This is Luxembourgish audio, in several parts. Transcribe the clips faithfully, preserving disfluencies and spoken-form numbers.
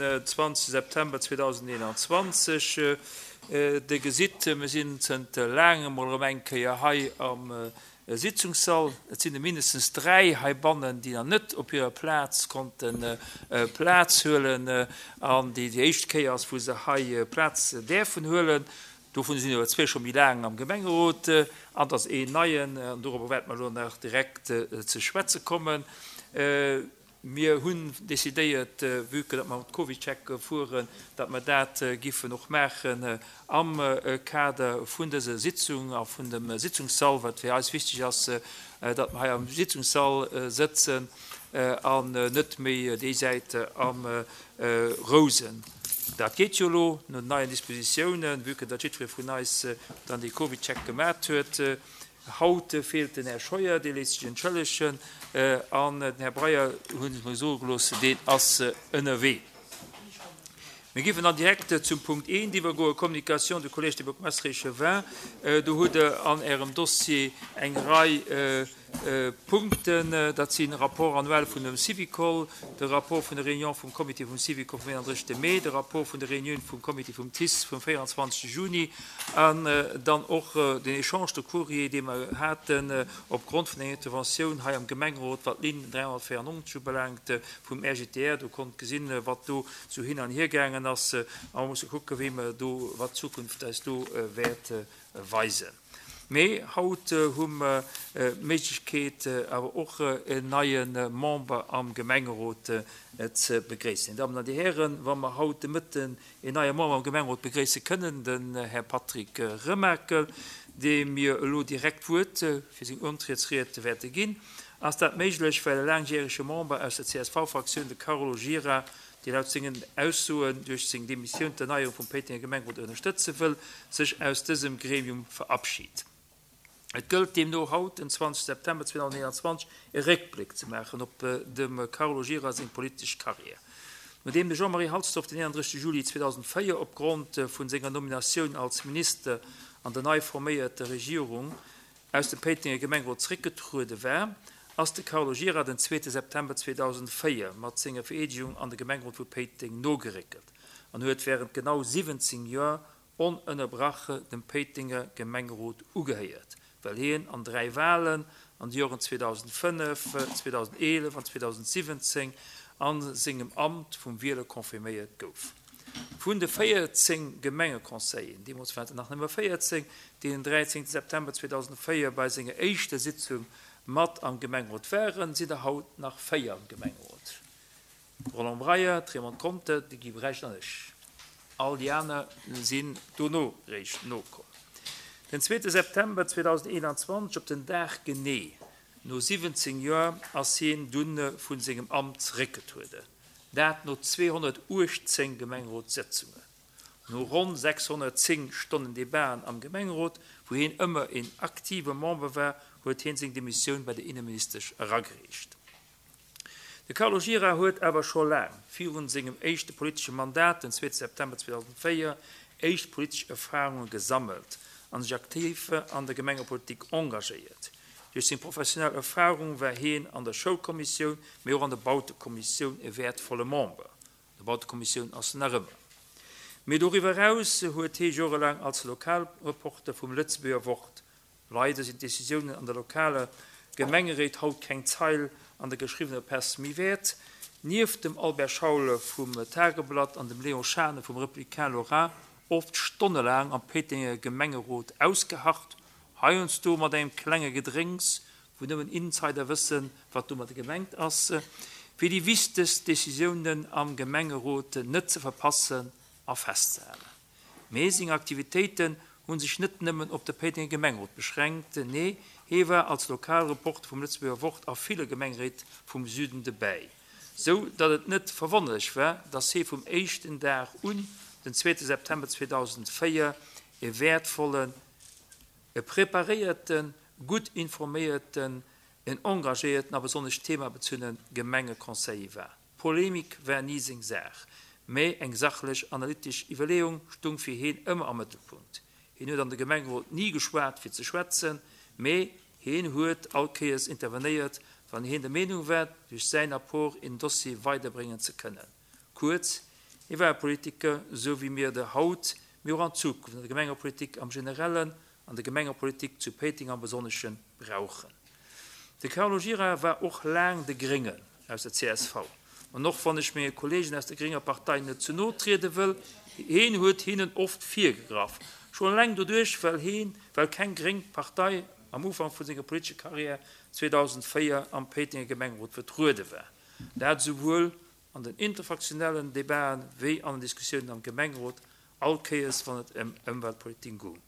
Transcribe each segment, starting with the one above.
den zwanzegste September zweedausendeenanzwanzeg. Dir gesitt, mir sinn zënter laangem mol erëm eng Kéier hei am Sitzungssall. Et sinn der mindestens dräi heibannen, déi nach net op hirer Plaz konnte Plaz huelen an déi déi éischt Kéier ass, wou se hei Plaz däerfen huelen. Dovun sinn awer zwee scho méi laang am Gemengerot an et ass een neien, an dorobber wäerte mer elo nach direkt ze schwätze kommen. Mir hunn decidéiert, vue que datt mer mat CovidCheck fueren, datt mer dat giffen och maachen am Kader vun dëser Sitzung a vun dem Sitzungssall, wat fir eis wichteg ass, datt mer hei am Sitzungssall sëtzen an net méi déi Säit am Rousen. Dat geet jo elo no den neien Dispositiounen, vue que datt jiddweree vun eis dann dee CovidCheck gemat huet. Haut feelt den Här Scheuer, dee léisst sech entschëllegen, an den Här Breyer, hunn ech mer soe gelooss, deen ass ënnerwee. Mir géifen dann direkt zum Punkt eent iwwergoen, Communication du Collège des bourgmestres et échevins. Do hutt Der an Ärem Dossier eng Rei Punkten. Dat sinn Rapport annuel vun dem Syvicol, de Rapport vun der Réunion vum Comité vum Syvicol vum eenanddrëssegste Mee, de Rapport vun der Réunioun vum Comité vum T I S vum véierundzwanzegste Juni an dann och den Échange de courrier, dee mer haten opgrond vun enger Interventioun hei am Gemengerot, wat d'Linn dräihonnertvéierennonzeg ubelaangt vum R G T R. Do konnt gesinn, wat do sou hin an hier gaangen ass. A mer musse kucken, wéi mer do, wat d'Zukunft eis do wäert weisen. Mee haut hu mer d'Méiglechkeet, awer och en neie Member am Gemengerot ze begréissen. Dir Dammen an Dir Hären, wa mer haut de Mëtten en neie Member am Gemengerot begréisse kënnen, den Här Patrick Remakel, deem mir elo direkt d'Wuert fir seng Untrietsried wäerte ginn, ass dat méiglech, well e laangjärege Member aus der C S V-Fraktioun, de Carlo Gira, dee laut sengen Aussoen duerch seng Demissioun d'Erneierung vum Péitenger Gemengerot ënnerstëtze wëll, sech aus dësem Gremium verabschiedt. Et gëllt deemno haut, den zwanzegste September zweedausendeenanzwanzeg, e Réckbléck ze maachen op dem Carlo Gira seng politesch Karriär. Nodeem de Jean-Marie Halsdorf den eenanddrëssegste Juli zweedausendvéier opgrond vun senger Nominatioun als Minister an der nei forméierter Regierung aus dem Péitenger Gemengerot zréckgetruede war, ass de Carlo Gira den zweete September zweedausendvéier mat senger Vereedegung an de Gemengerot vu Péiteng nogeréckelt an huet während genau siwwenzéng Joer onënnerbrache dem Péitenger Gemengerot ugehéiert, well hien an dräi Wahlen an de Joren zweedausendfënnef, zweedausendeelef an zweedausendsiwwenzéng an sengem Amt vum Wieler confirméiert gouf. Vun de véierzéng Gemengeconseillen, deemools waren et nach nëmme véierzéng, déi den dräizéngte September zweedausendvéier bei senger éischter Sitzung mat am Gemengerot waren, sinn der haut nach véier am Gemengerot. Roland Breyer, Raymond Conter, de Guy Brecht an ech. All déi aner sinn dono réischt nokomm. Den zweete September zweedausendeenanzwanzeg, op den Dag genee, no siwwenzéng Joer, ass hien dunn vun sengem Amt zeréckgetrueden. Dat no zweehonnertuechtzéng Gemengerotssëtzungen. No ronn sechshonnertzéng Stonnen Debaten am Gemengerot, wou hien ëmmer een aktive Member war, huet hien seng Demissioun bei der Inneministesch eragereecht. De Carlo Gira huet awer scho laang virun sengem éischte politesche Mandat, den zweete September zweedausendvéier, éischt politesch Erfahrunge gesammelt an sech aktiv an der Gemengepolitik engagéiert. Duerch seng professionell Erfahrung war hien an der Schoulkommissioun, mee och an der Bautekommissioun e wertvolle Member. Der Bautekommissioun ass nach ëmmer. Mee doriwwer heraus huet hie jorelaang als Lokalreporter vum Lëtzebuerger Wort. Leider sinn d'Decisiounen an der lokaler Gemengeréit haut keng Zeil an der geschriwwener Press méi wäert. Nieft dem Albert Schaul vum Tageblatt an dem Léon Schane vum Républicain Lorrain oft stonnelaang am Péitenger Gemengerot ausgeharrt, heiansdo mat engem klenge Gedrénks, wou nëmmen Insider wëssen, wat domat gemengt ass, fir déi wichtegst Decisiounen am Gemengerot net ze verpassen a festzehalen. Mee seng Aktivitéiten hunn sech net nëmmen op de Péitenger Gemengerot beschränkt, nee, hie war als Lokalreporter vum Lëtzebuerger Wort a ville Gemengeréit vum Süden dobäi. Sou datt et net verwonnerlech war, datt hie vum éischten Dag un, den zweete September zweedausendvéier, e wertvollen, e preparéierten, gutt informéierten, en engagéierten a besonnesch themabezunne Gemengeconseiller war. Polemik war nie seng Saach, mee eng sachlech analytesch Iwwerleeung stung fir hien ëmmer am Mëttelpunkt. Hien huet an de Gemengerot nie geschwat fir ze schwätzen, mee hien huet all Kéiers intervenéiert, wann hien der Meenung war, duerch säin Apport en Dossier weiderbréngen ze kënnen. Kuerz, Hie war e Politiker, esou wéi mir der haut, mee och an Zukunft an der Gemengepolitik am Generellen an der Gemengepolitik zu Péiteng am Besonnesche brauchen. De Carlo Gira war och laang de Gréngen aus der C S V. An och wann ech menge Kolleegen aus der grénger Partei net ze no triede wëll, hien huet hinnen oft virgegraff. Schonn eleng doduerch, well hien, well keng gréng Partei am Ufank vu senger politescher Karriär zweedausendvéier am Péitenger Gemengerot vertruede war. Dat esouwuel an den interfraktionellen Debaten wéi an den Diskussiounen am Gemengerot, all Kéiers wann et ëm Ëmweltpolitik goung.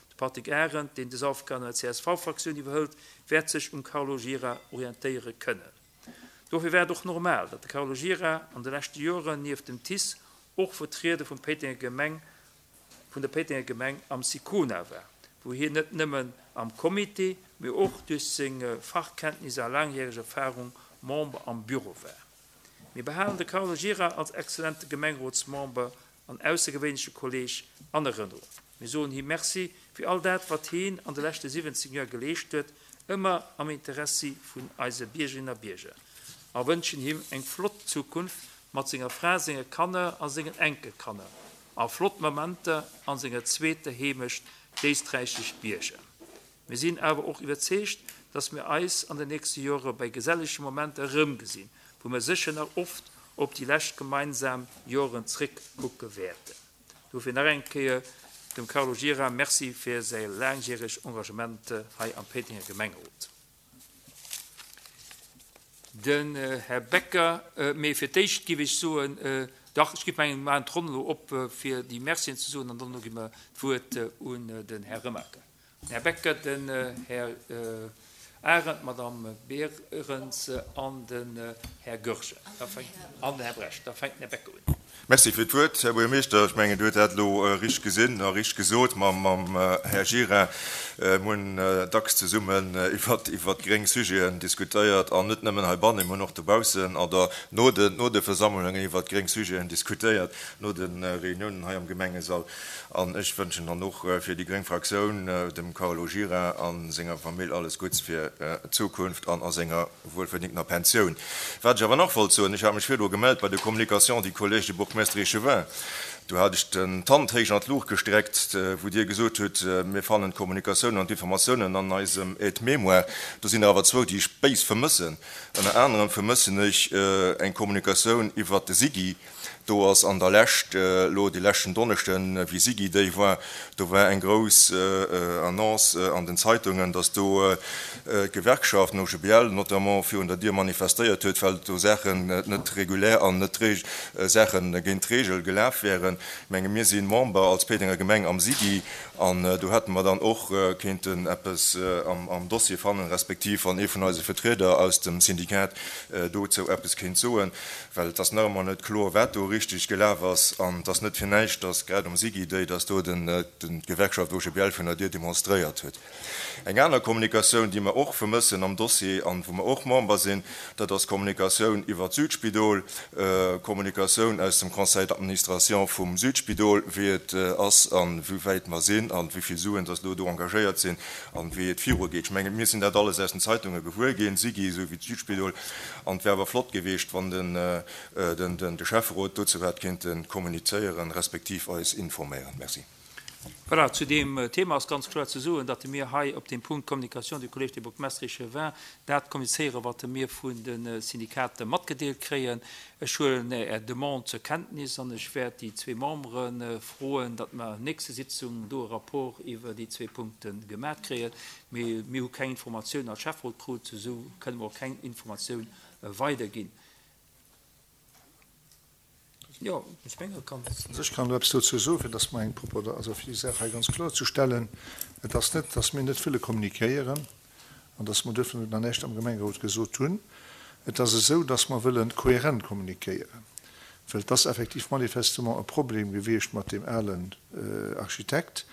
De Patrick Arendt, deen dës Aufgaben an der C S V-Fraktioun iwwerhëlt, wäert sech um Carlo Gira orientéiere kënnen. Dofir war et och normal, datt de Carlo Gira an de leschte Joren nieft dem T I C och Vertrieder vum Péitenger Gemeng, vun der Péitenger Gemeng am SICONA war, wou hien net nëmmen am Comité, mee och duerch seng Fachkenntnisser a laangjäreg Erfarung Member am Büro war. Mir behalen de Carlo Gira als exzellente Gemengerotsmember an aussergewéinleche Kolleeg an Erënnerung. Mir soen him Merci fir all dat, wat hien an de leschte siwwenzéng Joer geleescht huet, ëmmer am Interessi vun eise Biergerinnen a Bierger, a wënschen him eng flott Zukunft mat senger Fra, senge Kanner a sengen Enkelkanner a flott Momenter an senger zweeter Heemecht, d'éisträichesch Bierger. Mir sinn awer och iwwerzeegt, dass mir eis an den nächste Jore bei gesellege Momenter erëmgesinn, wou mir sécher nach oft op déi lescht gemeinsam Joren zréckkucke wäerten. Dofir nach eng Kéier dem Carlo Gira Merci fir säi laangjäregt Engagement hei am Péitenger Gemengerot. Den Här Becker, mee fir d'éischt giff ech soen, dach, ech giff mengen, mir maachen d'Ronn elo op, fir déi Mercien ze soen, an dono gi mer d'Wuert un den Här Remaker. Den Här Becker, den Här Arendt, d'Madame Berens an den Här Goergen an den Här Brecht. Da fänkt den Här Becker un. Merci fir d'Wuert, Här Buergermeeschter. Ech mengen, Dir hutt dat elo richteg gesinn a richteg gesot mam Här Gira. Mir hunn dacks zesummen iwwert gréng Sujeten diskutéiert, an net nëmmen heibannen, mir hunn och dobaussen oder no de Versammlungen iwwert gréng Sujeten diskutéiert, no de Reuniounen hei am Gemengesall. An ech wënschen dann och fir déi gréng Fraktioun dem Carlo Gira a senger Famill alles Gutts fir d'Zukunft an a senger wuelverdingtener Pensioun. Wat ech awer nach wollt soen, ech hat mech virdru gemellt bei de Communications du Collège des bourgmestres et échevins. Do hat ech den d'Hand héich an d'Luucht gestreckt, wou Dir gesot hutt, mir fannen d'Kommunikatiounen an d'Informatiounen an eisem Aide-mémoire. Do sinn der awer zwou, déi ech béis vermëssen. Ënner anerem vermëssen ech eng Kommunikatioun iwwert de SIGI. Do ass an der Lescht, elo dee leschten Donneschden, wéi SIGI Day war, do war eng grouss Annonce an den Zeitungen, dass do d'Gewerkschaft, den O G B L notamment, virun der Dier manifestéiert huet, well do Saachen net regulär an net Saache géint d'Regel gelaf wären. Ech menge mir si Member als Péitenger Gemeng am SIGI an do hätte mer dann och kéinten eppes am Dossier fannen, respektiv wann ee vun eise Vertrieder aus dem Syndikat dozou eppes kéint soen, well et ass nach ëmmer net kloer, wat do richteg gelaf ass. An et ass net fir näischt, dass grad um SIGI Day, dass do d'Gewerkschaft O G B L virun der Dier demonstréiert huet. Eng aner Kommunikatioun, déi mer och vermëssen am Dossier an wou mer och Member sinn, dat ass d'Kommunikatioun iwwert d'Südspidol, Kommunikatioun aus dem Conseil d'administration vum Südspidol, wéi et ass an wéi wäit mer sinn an wéi vill Suen dass elo do engagéiert sinn an wéi et virugeet. Ech mengen, mir sinn dat alles aus den Zeitunge gewuer ginn, SIGI esou wéi d'Südspidol, an et wär awer flott gewiescht, wann den de Schäfferot dozou hätt kéinte kommunizéieren, respektiv eis informéieren. Merci. Voilà, zu deem Thema ass ganz kloer ze soen, datt mir hei op dem Punkt Communication du Collège des bourgmestres et échevins dat kommunizéieren, wat mir vun de Syndikaten matgedeelt kréien. Ech huelen Är Demande zur Kenntnis an ech wäert déi zwee Membere froen, datt mer nächste Sitzung do e Rapport iwwer déi zwee Punkte gemat kréien. Mee mir hu keng Informatioun als Schäfferot krut, esou kënne mer och keng Informatioun weiderginn. Jo, ech mengen, et kann. Ech kann do eppes dozou soen, fir dass mer eng propper, also fir déi Saach hei ganz kloerzestellen. Et ass net, dass mir net wëlle kommunikéieren an dass mer duerfir nach näischt am Gemengerot gesot hunn. Et ass esou, dass mer wëlle kohärent kommunikéieren, well et ass effektiv manifestement e Problem gewiescht mat deem alen Architekt.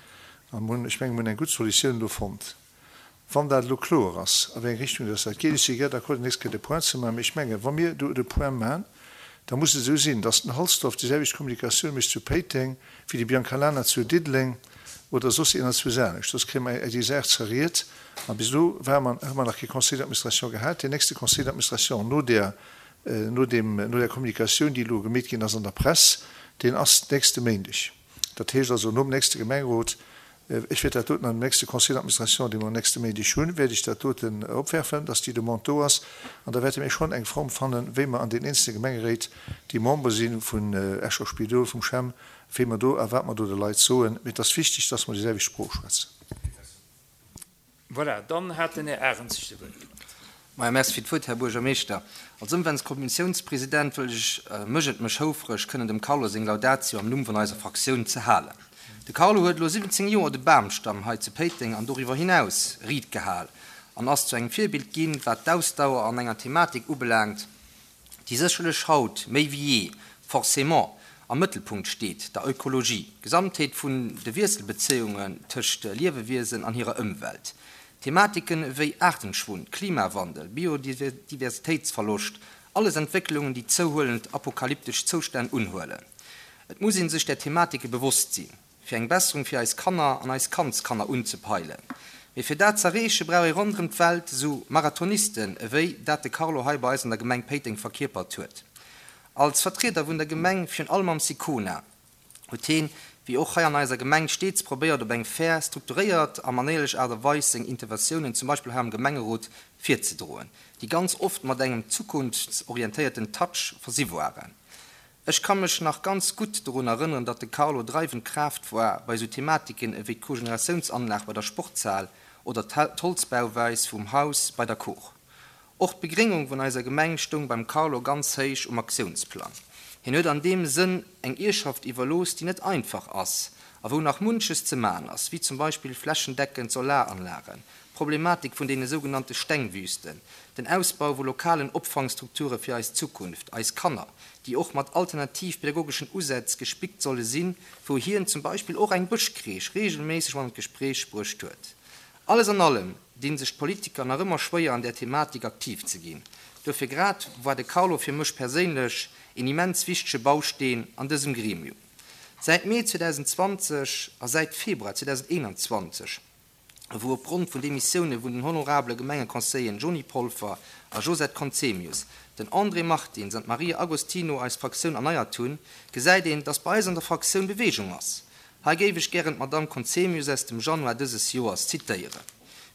A mir hunn, ech mengen, mir hunn eng gutt Solutioun do fonnt. Wann dat elo kloer ass, a wéi eng Richtung dass dat geet, ech si gär d'accord, déi nächst Kéier de Point ze maachen, mee ech mengen, wa mir do de Point maachen, da muss et esou sinn, dass den Halsdorf déi selwecht Kommunikatioun mécht zu Péiteng wéi de Biancalana zu Diddeleng oder soss een zu Saanich. Soss kréie mer déi Saach zerriet. A bis elo ware mer, hu mer nach kee Conseil d'administration gehat. Deen nächste Conseil d'administration no där, no deem, no där Kommunikatioun, déi elo gemeet ginn ass an der Press, Deen ass nächste Méindeg. Dat heescht also nom nächste Gemengerot, ech wäert dat doten am nächste Conseil d'administration, dee mer nächste Méindeg hunn, wäert ech dat doten opwerfen, dass déi Demande do ass. An da wäerte mir schonn eng Form fannen, wéi mer an den eenzelne Gemengeréit, déi Member si vun Escher Spidol, vum CHEM, wéi mer do a wat mer do de Leit soen. Mee et ass wichteg, dass mer déi selwecht Sprooch schwätzen. Voilà, dann hat den Här Arendt sech zu Wuert gemellt. Maja, merci fir d'Wuert, Här Buergermeeschter. Als Ëmweltkommissiounspresident wëll ech mech et mech houfreg kënnen dem Carlo seng Laudatio am Numm vun eiser Fraktioun ze halen. De Carlo huet elo siwwenzéng Joer de Bamstamm hei zu Péiteng an doriwwer hinaus riit gehal an ass zu engem Virbild ginn, wat d'Ausdauer an enger Thematik ubelaangt, déi sécherlech haut méi wéi jee forcément am Mëttelpunkt steet, der Ökologie, d'Gesamtheet vun de Wiesselbezéiungen tëscht Liewewiesen an hirer Ëmwelt. Thematiken ewéi Aartenschwund, Klimawandel, Biodiversitéitsverloscht, alles Entwécklungen, déi zouhuelend apokalyptesch Zoustänn unhuelen. Et muss ee sech där Thematike bewosst sinn, fir eng Besserung fir eis Kanner an eis Kandskanner unzepeilen. Mee fir dat z'erreeche brauch ee ronderëm d'Welt esou Marathonisten, ewéi dat de Carlo hei bei eis an der Gemeng Péiteng verkierpert huet. Als Vertrieder vun der Gemeng, virun allem am Sicona, huet heen, wéi och hei an eiser Gemeng, steets probéiert op eng fair, strukturéiert a manéierlech Aart a Weis seng Interventiounen, zum Beispill hei am Gemengerot, virzedroen, déi ganz oft mat engem zukunftsorientéierten Touch versi waren. Ech ka mech nach ganz gutt dorun erënneren, datt de Carlo dreiwend Kraaft war bei esou Thematiken ewéi d'Cogeneratiounsanlag bei der Sportshal oder d'Holzbauweis vum Haus bei der Kor. Och d'Begréngung vun eiser Gemeng stoung beim Carlo ganz héich um Aktiounsplang. Hien huet an deem Sënn eng Ierfschaft iwwerlooss, déi net einfach ass a wou nach munches ze man ass, wéi zum Beispill flächendeckend Solaranlagen, d'Problematik vun deene sougenannte Stengwüsten, den Ausbau vu lokalen Opfangstrukture fir eis Zukunft, eis Kanner, déi och mat alternativ pädagogeschen Usätz gespickt solle sinn, wou hien zum Beispill och eng Bëschcrèche reegelméisseg mat an d'Gespréich bruecht huet. Alles an allem dinn sech d'Politiker nach ëmmer schwéier an där Thematik aktiv ze ginn. Dofir grad war de Carlo fir mech perséinlech een immens wichtege Bausteen an dësem Gremium. Säit Mee zweedausendzwanzeg a säit Februar zweedausendeenanzwanzeg, wou opgrond vun Demissioune vun den honorabele Gemengeconseilleren Johny Polfer a Josette Conzemius, den André Martins an d'Maria Agostino eis Fraktioun erneiert hunn, gesäit een, dass bei eis an der Fraktioun Beweegung ass. Hei géif ech gären d'Madamm Conzemius aus dem Januar dëses Joers zitéieren,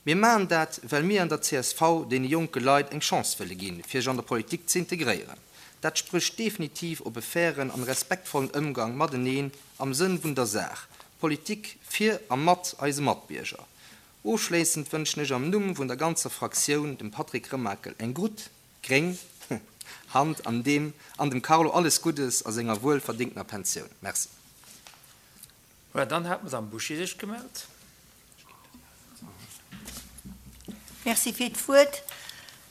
Mir maachen dat, well mir an der C S V deene jonke Leit eng Chance wëlle ginn, fir sech an der Politik ze integréieren. Dat sprécht definitiv op e fairen an respektvollen Ëmgang mateneen am Sënn vun der Saach, Politik fir a mat eise Matbierger. Ofschléissend wënschen ech am Numm vun der ganzer Fraktioun dem Patrick Remakel eng gutt, gréng Hand an dem an dem Carlo alles Guddes a senger wuelverdéngtener Pensioun. Merci. Voilà, dann hat d'Madame Bouché sech gemellt. Merci fir d'Wuert.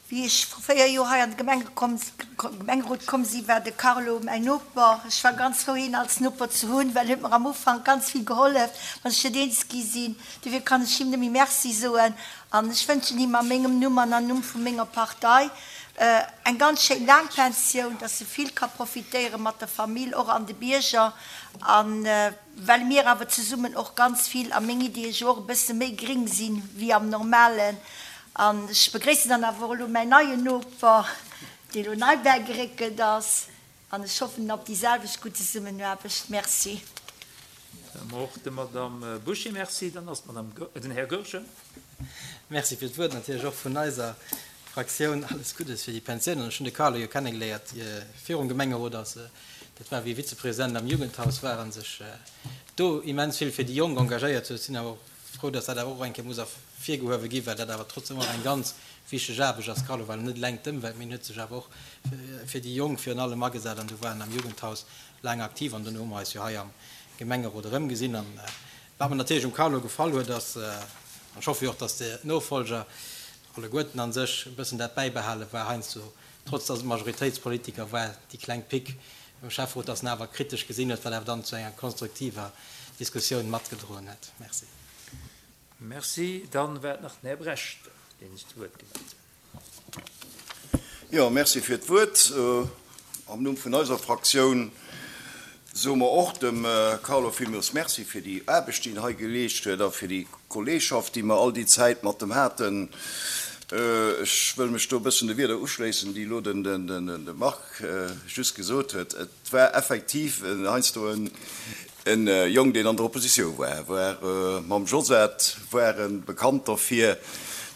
Wéi ech vru véier Joer hei an de Gemengerot komm sinn, war de Carlo mäin Noper. Ech war ganz frou, hien als Noper ze hunn, well en huet mer am Ufank ganz vill gehollef, wann ech net eens gi sinn. Dofir kann ech him nëmme Merci soen an ech wënschen him a mengem Numm an am Numm vu menger Partei eng ganz schéin laang Pensioun, dass e vill ka profitéiere mat der Famill, och an de Bierger. A well mir awer zesummen och ganz vill a meng Iddie jo och e bësse méi gréng sinn wéi am Normalen, An ech begréissen dann awer och elo mäin neien Noper, dee elo nei bäigeréckelt ass, an ech hoffen op déi selwecht gutt Zesummenaarbecht. Merci. Och der Madamm Bouché Merci. Dann ass d'Madamm, den Här Goergen. Merci fir d'Wuert. Natierlech och vun eiser Fraktioun alles Guddes fir déi Pensioun. An ech hunn de Carlo jo kennegeléiert virum Gemengerot, als dat war wéi e Vizepresident am Jugendhaus war a sech do immens vill fir déi Jonk engagéiert huet. Sinn awer och frou, dass dat awer och eng Kéier muss ervirgehuewe ginn, well dat awer trotzdem och eng ganz wichteg Aarbecht ass. Carlo war net eleng d'Ëmwelt, mee en huet sech awer och fir déi Jonk virun allem agesat an do war en am Jugendhaus laang aktiv an dono hu mer eis jo hei am Gemengerot erëmgesinn. An wat mer natierlech um Carlo gefall huet, ass, an ech hoffe jo och, dass de Nofolger alleguerten a sech e bëssen dat bäibehalen, war heiansdo, trotz dass et Majoritéitspolitiker war, déi kleng Pick beim Schäfferot, dass en awer kritesch gesinn huet, wat awer dann zu enger konstruktiver Diskussioun matgedroen huet. Merci. Merci. Dann war et nach den Här Brecht, dee sech zu Wuert gemellt huet. Jo, merci fir d'Wuert. Am Numm vun eiser Fraktioun soe mer och dem Carlo villmools Merci fir déi Aarbecht, déi en hei geleescht huet a fir déi Kolleegschaft, déi mer all déi Zäit mat em haten. Ech wëll mech do e bëssen de Wierder uschléissen, déi elo de Marc just gesot huet. Et war effektiv heiansdo e Jong, deen an der Oppositioun war, war mam Josette, ware bekannt derfir,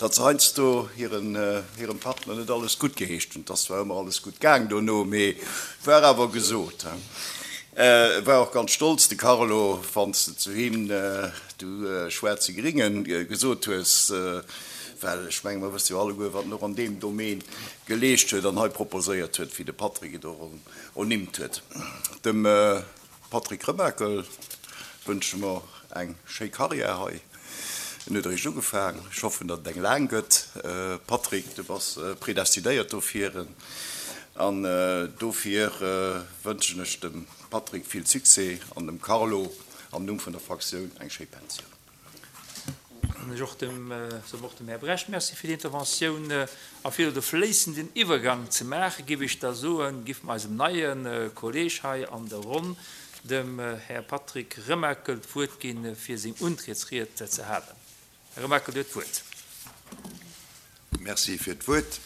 datt se heiansdo hirem Partner net alles guttgeheescht hunn. Et ass zwar ëmmer alles gutt gaang dono, mee et war awer gesot. E war och ganz stolz, de Carlo, wann s de zu him, du schwaarze Gringen, gesot hues, well ech menge mer wësse jo alleguer, wat en och an deem Domaine geleescht huet an hei proposéiert huet, wéi de Patrick et och ernimmt huet. Dem Patrick Remakel wënsche mer eng schéi Karriär hei. En huet eréischt ugefaang. Ech hoffen, datt et eng laang gëtt. Patrick, du bass predestinéiert dofir. An dofir wënschen ech dem Patrick vill Succès an dem Carlo am Numm vun der Fraktioun eng schéi Pensioun. An ech och dem, soen och dem Här Brecht Merci fir déi Interventioun. A fir elo de fléissenden Iwwergang ze maachen, géif ech da soen, giff mer eisem neie Kolleeg hei an der Ronn, dem Här Patrick Remakel, d'Wuert ginn, fir seng Untrietsried ze halen. Här Remakel, Dir hutt d'Wuert. Merci fir d'Wuert,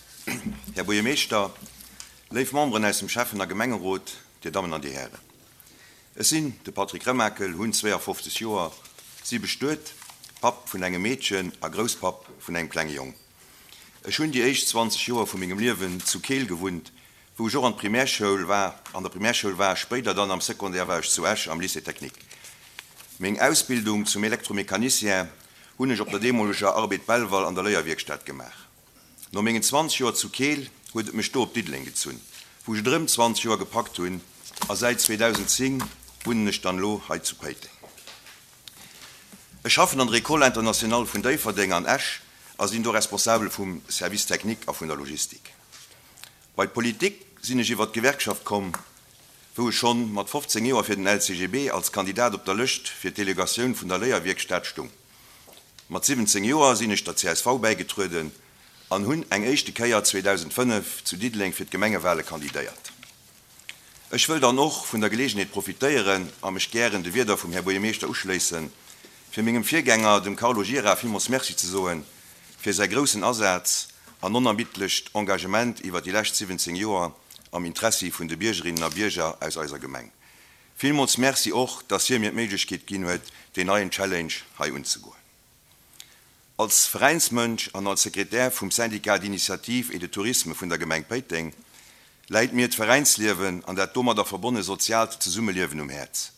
Här Buergermeeschter, léif Memberen aus dem Schäffen a Gemengerot, Dir Dammen an Dir Hären. Ech sinn de Patrick Remakel, hunn zweeafofzeg Joer, si bestuet, Papp vun engem Meedchen a Grousspapp vun engem klenge Jong. Ech hunn déi éischt zwanzeg Joer vu mengem Liewen zu Keel gewunnt, wou ech och an d'Primärschoul war, an der Primärschoul war, spéider dann am Secondaire war ech zu Esch am Lycée technique. Meng Ausbildung zum Elektromecanicien hunn ech op der deemoleger Arbed Belval an der Léierwierkstad gemaach. No mengen zwanzeg Joer zu Keel huet et mech do op Diddeleng gezunn, wou ech et erëm zwanzeg Joer gepackt hunn a säit zweedausend zéng wunnen ech dann elo hei zu Péiteng. Ech schaffen an der École internationale vun Déifferdeng an Esch a sinn do Responsabel vum Service technique a vun der Logistik. Bei d'Politik sinn ech iwwer d'Gewerkschaft komm, wou ech schonn mat fofzéng Joer fir den L C G B als Kandidat op der Lëscht fir d'Delegatioun vun der Léierwierkstad stung. Mat siwwenzéng Joer sinn ech der C S V bäigetrueden an hunn eng éischte Kéier zweedausendfënnef zu Diddeleng fir d'Gemengewale kandidéiert. Ech wëll dann och vun der Geleegenheet profitéieren a mech gären de Wierder vum Här Buergermeeschter uschléissen, fir mengem Virgänger, dem Carlo Gira, villmools Merci ze soen fir säi groussen Asaz an onermiddlecht Engagement iwwer déi lescht siwwenzéng Joer am Interessi vun de Biergerinnen a Bierger aus eiser Gemeng. Villmools Merci och, dass hie mir d'Méiglechkeet ginn huet, deen neien Challenge hei unzegoen. Als Veräinsmënsch an als Sekretär vum Syndicat d'initiative et de tourisme vun der Gemeng Péiteng läit mir d'Veräinsliewen an dat domadder verbonne soziaalt Zesummeliewen um Häerz.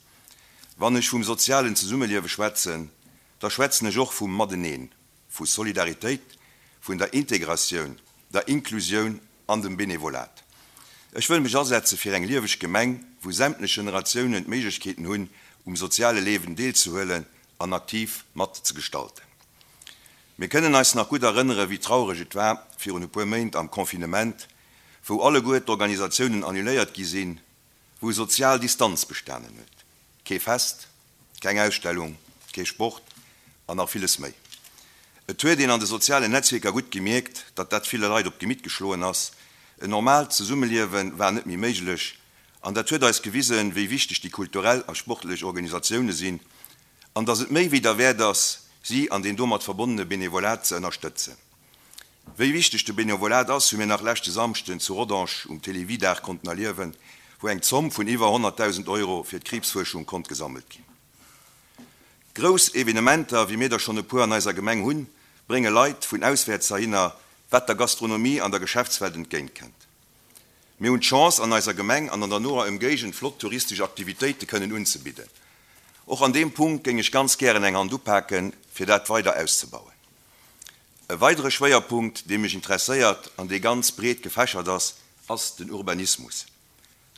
Wann ech vum sozialen Zesummeliewe schwätzen, da schwätzen ech och vum Mateneen, vu Solidaritéit, vun der Integratioun, der Inklusioun an dem Benevolat. Ech wëll mech asetze fir eng lieweg Gemeng, wou sämtlech Generatiounen d'Méiglechkeeten hunn, um soziale Liewen deelzehuelen an aktiv mat ze gestalten. Mir kënnen eis nach gutt erënnere wéi traureg et war virun e puer Méint am Confinement, wou alleguer d'Organisatiounen annuléiert gi sinn, wou sozial Distanz bestanen huet. Kee Fest, keng Ausstellung, kee Sport an nach villes méi. Et huet een an de sozialen Netzwierker gutt gemierkt, datt dat ville Leit op d'Gemitt geschloen ass. En normaalt Zesummeliewe war net méi méiglech an dat huet eis gewisen, wéi wichteg déi kulturell a sportlech Organisatioune sinn an datt et méi wéi derwäert ass, si an deen domat verbonnene Benevolat ze ënnerstëtzen. Wéi wichteg de Benevolat ass, hu mir nach leschte Samschden zu Rodange um Télévie-Dag konnten erliewen, wou eng Zomm vun iwwer honnertdausend Euro fir d'Kriibsfuerschung konnt gesammelt ginn. Grouss Evenementer, wéi mir der schonn e puer an eiser Gemeng hunn, brénge Leit vun auswäerts heihinner, wat der Gastronomie an der Geschäftswelt entgéintkënnt. Mir hunn d'Chance, an eiser Gemeng an an der noer Ëmgéigend flott touristesch Aktivitéite kënnen unzebidden. Och an deem Punkt géing ech ganz gären eng Hand upaken, fir dat weider auszebauen. E weidere Schwéierpunkt, dee mech interesséiert an dee ganz breet gefächert ass, ass den Urbanismus.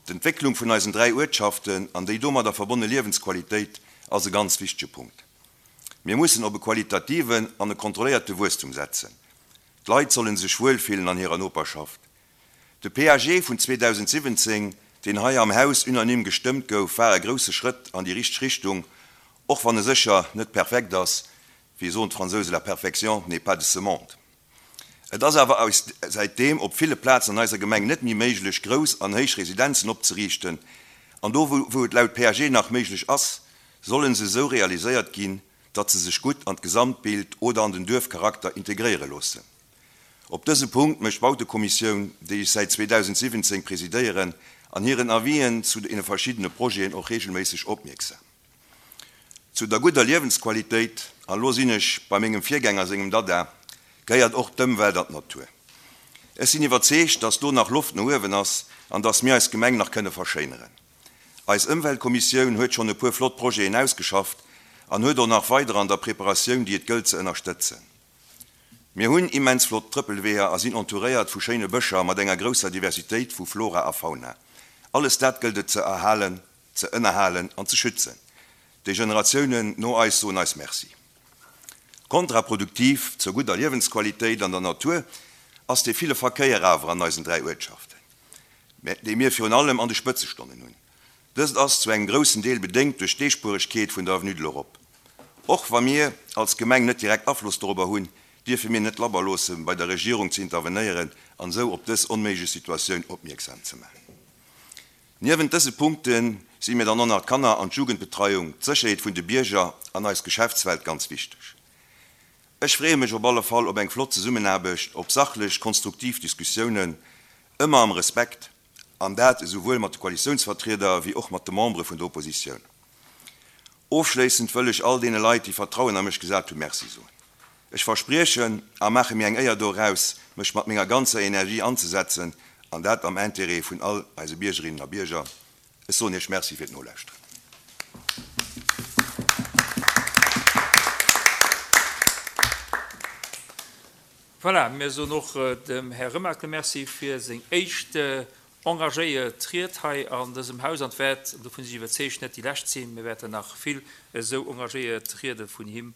D'Entwécklung vun eisen dräi Uertschaften an déi domadder verbonne Liewensqualitéit ass e ganz wichtege Punkt. Mir mussen op e qualitativen an e kontrolléierte Wuesstum setzen. D'Leit solle sech wuelfillen an hirer Noperschaft. De P A G vun zweedausendsiwwenzéng, deen hei am Haus unanime gestëmmt gouf, war e grousse Schrëtt an déi richteg Richtung, och wann e sécher net perfekt ass, wéi soen d'Fransousen, la perfection n'est pas de ce monde. Et ass awer säitdeem op ville Plazen an eiser Gemeng net méi méiglech, grouss an héich Residenzen opzeriichten, an do wou et laut P A G nach méiglech ass, solle se esou realiséiert ginn, datt se sech gutt an d'Gesamtbild oder an den Duerfcharakter integréiere loossen. Op dëse Punkt mécht d'Bautekommissioun, déi ech säit zweedausendsiwwenzéng presidéieren, an hiren Avisen zu deene verschiddene Projeten och reegelméisseg opmierksam. Zu der gudder Liewensqualitéit, an elo sinn ech bei mengem Virgänger sengem Dada, gehéiert och d'Ëmwelt an d'Natur. Ech sinn iwwerzeegt, dass do nach Loft no uewen ass an dass mir eis Gemeng nach kënne verschéineren. Eis Ëmweltkommissioun huet schonn e puer flott Projeten ausgeschafft an huet och nach weider an der Preparatioun, déi et gëllt ze ënnerstëtzen. Mir hunn immens flott Trëppelweeër a sinn entouréiert vu schéine Bëscher mat enger grousser Diversitéit vu Flora a Fauna. Alles dat gëllt et ze erhalen, ze ënnerhalen an ze schützen. Déi Generatiounen no eis soen eis Merci. Kontraproduktiv zur gudder Liewensqualitéit an der Natur ass dee ville Verkéier awer an eisen dräi Uertschaften, dee mir virun allem an de Spëtzestonnen hunn. Dëst ass zu engem groussen Deel bedéngt duerch d'Eespueregkeet vun der Avenue de l'Europe. Och wa mir als Gemeng net direkt Afloss dorobber hunn, dierfe mir net labber loossen, bei der Regierung ze intervenéieren an esou op dës onméiglech Situatioun opmierksam ze maachen. Niewent dëse Punkte si mir dann och nach d'Kanner an d'Jugendbetreiung, d'Sécherheet vun de Bierger an eis Geschäftswelt ganz wichteg. Ech freeë mech op alle Fall op eng flott Zesummenaarbecht, op sachlech, konstruktiv Diskussiounen, ëmmer am Respekt, an dat esouwuel mat de Koalitiounsvertrieder wéi och mat de Membere vun der Oppositioun. Ofschléissend wëll ech all deene Leit, déi Vertrauen a mech gesat hunn, Merci soen. Ech verspriechen a maache mir eng Éier doraus, mech mat menger ganzer Energie anzesetzen, an dat am Intérêt vun all eise Biergerinnen a Bierger. Ech soen Iech Merci fir d'Nolauschteren. Voilà, mir soen och dem Här Remakel Merci fir seng éischt engagéiert Ried hei an dësem Haus an et wäert, an dovun si ech iwwerzeegt, net déi lescht sinn. Mir wäerten nach vill esou engagéiert Riede vun him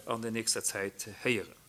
an der nächster Zäit héieren.